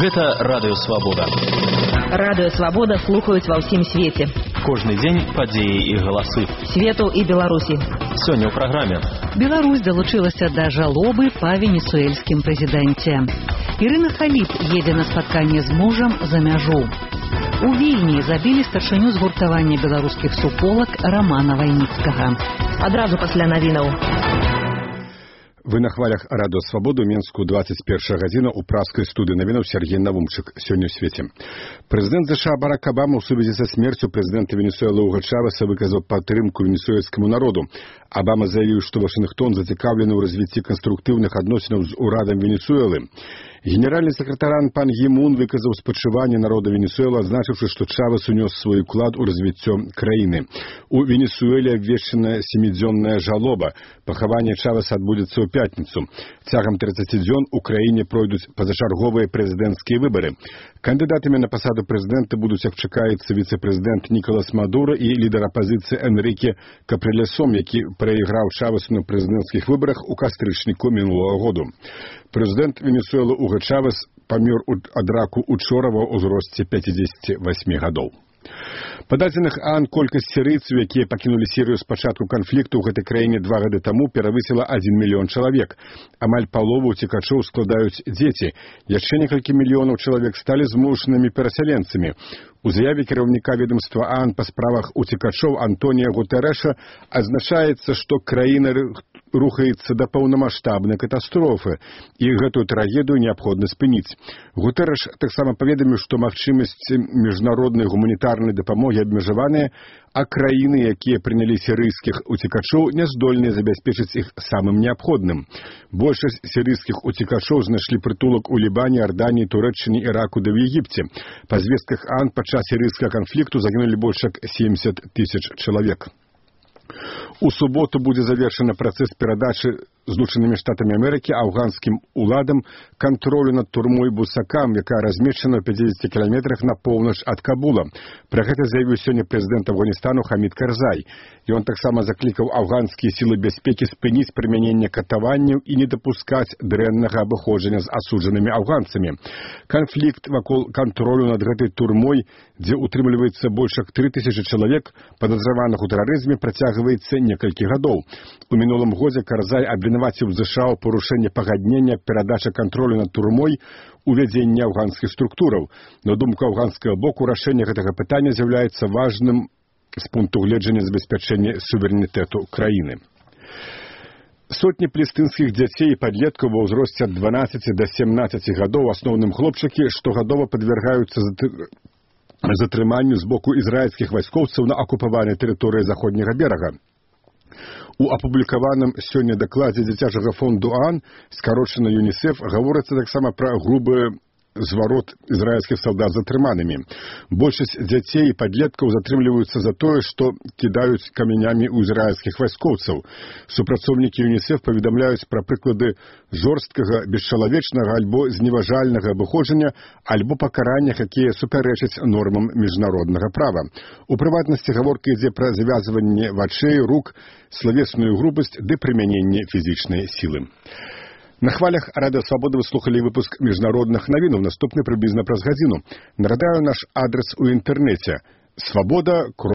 Гэта Радыё Свабода. Радыё Свабода слухаюць ва ўсім свеце. Кожны дзень падзеі і галасы. Свету і Беларусі. Сёння ў праграме. Беларусь далучылася да жалобы па венесуэльскім прэзідэнце. Ірына Халіп едзе на спатканне з мужам за мяжу. У Вільні забілі старшыню згуртавання беларускіх суполак Рамана Вайніцкага. Адразу пасля навінаў. Вы на хвалях Радыё Свабоду, Менску, 21 гадзіна ў праскай студыі навінаў Сергей Навумчык. Сёння ў свеце. Прэзідэнт США Барак Абама ў сувязі са смерцю прэзідэнта Венесуэлы Уго Чавеса выказаў падтрымку венесуэльскаму народу. Абама заявіў, што Вашынгтон зацікаўлены ў развіцці канструктыўных адносінаў з урадам Венесуэлы. Генеральны сакратаран пан Гі Мун выказаў спачуванне народа Венесуэлы, адзначыўшы, што Чавес унёс свой уклад у развіццё краіны. У Венесуэле абвешчана 7-дзённая жалоба. Пахаванне Чавеса адбудзецца ў пятніцу. Цягам 30 дзён у краіне пройдуць пазачарговыя прэзідэнцкія выбары. Кандыдатамі на пасаду прэзідэнта будуць, як чакаецца, віцэ-прэзідэнт Нікалас Мадура і лідар апазіцыі Энріке Капрылесом, які прайграў Чавесу на прэзідэнцкіх выбарах у кастрычніку мінулага году. Прэзідэнт Венесуэлы Уго Чавес памёр ад раку учора ва ўзросце 58 гадоў. Па дадзеных ААН колькасць сірыйцаў, якія пакінулі Сірыю з пачатку канфлікту ў гэтай краіне 2 гады таму, перавысіла 1 мільён чалавек. Амаль палову уцекачоў складаюць дзеці. Яшчэ некалькі мільёнаў чалавек сталі змушанымі перасяленцамі. У заяве кіраўніка ведомства ААН па справах уцекачоў Антонія Гутэрэша адзначаецца, што краіна рухаецца да паўнамаштабнай катастрофы, і гэтую трагедыю неабходна спыніць. Гутэрэш таксама паведаміў, што магчымасці міжнароднай гуманітарнай дапамогі абмежаваныя, а краіны, якія прынялі сірыйскіх уцекачоў, не здольныя забяспечыць іх самым неабходным. Большасць сірыйскіх уцекачоў знайшлі прытулак у Лібане, Арданіі, Турэччыне, Іраку ды ў Егіпце. Па звестках ААН падчас сірыйскага канфлікту загінулі больш як 70 тысяч чалавек. У суботу будзе завершаны працэс перадачы Злучанымі Штатамі Амерыкі афганскім уладам кантролю над турмой Бусакам, якая размешчана ў 50 кіламетрах на поўнач ад Кабула. Пра гэта заявіў сёння прэзідэнт Афганістану Хамід Карзай. Ён таксама заклікаў афганскія сілы бяспекі спыніць прымяненне катаванняў і не дапускаць дрэннага абыходжання з асуджанымі афганцамі. Канфлікт вакол кантролю над гэтай турмой, дзе утрымліваецца больш як 3000 чалавек, падазраваных у тэрарызме, працягваецца некалькі гадоў. У мінулым годзе Карзай абвінаваціў ЗША ў парушэнні пагаднення перадача кантролю над турмой, увядзення афганскіх структураў. На думку афганскага боку, рашэнне гэтага пытання з'яўляецца важным з пункту гледжання забеспячэння суверэнітэту краіны. Сотні палестынскіх дзяцей і падлеткаў ва ўзросце ад 12 да 17 гадоў, асноўным хлопчыкі, штогадова падвяргаюцца затрыманню з боку ізраільскіх вайскоўцаў на акупаванай тэрыторыі заходняга берага. У апублікаваным сёння дакладзе дзіцячага фонду ААН, скарочана ЮНІСЕФ, гаворыцца таксама пра грубы зварот ізраільскіх салдат затрыманымі. Большасць дзяцей і падлеткаў затрымліваюцца за тое, што кідаюць камянямі ў ізраільскіх вайскоўцаў. Супрацоўнікі ЮНІСЕФ паведамляюць пра прыклады жорсткага, бесчалавечнага альбо зневажальнага абыходжання, альбо пакараннях, якія супярэчаць нормам міжнароднага права. У прыватнасці гаворка ідзе пра завязванне вачэй, рук, славесную грубасць ды прымяненне фізічнай сілы. На хвалях Радыё Свабода вы слухали выпуск міжнародных навінаў, наступны прыблізна праз гадзіну. Нагадаю наш адрес у інтэрнэце: Свабода.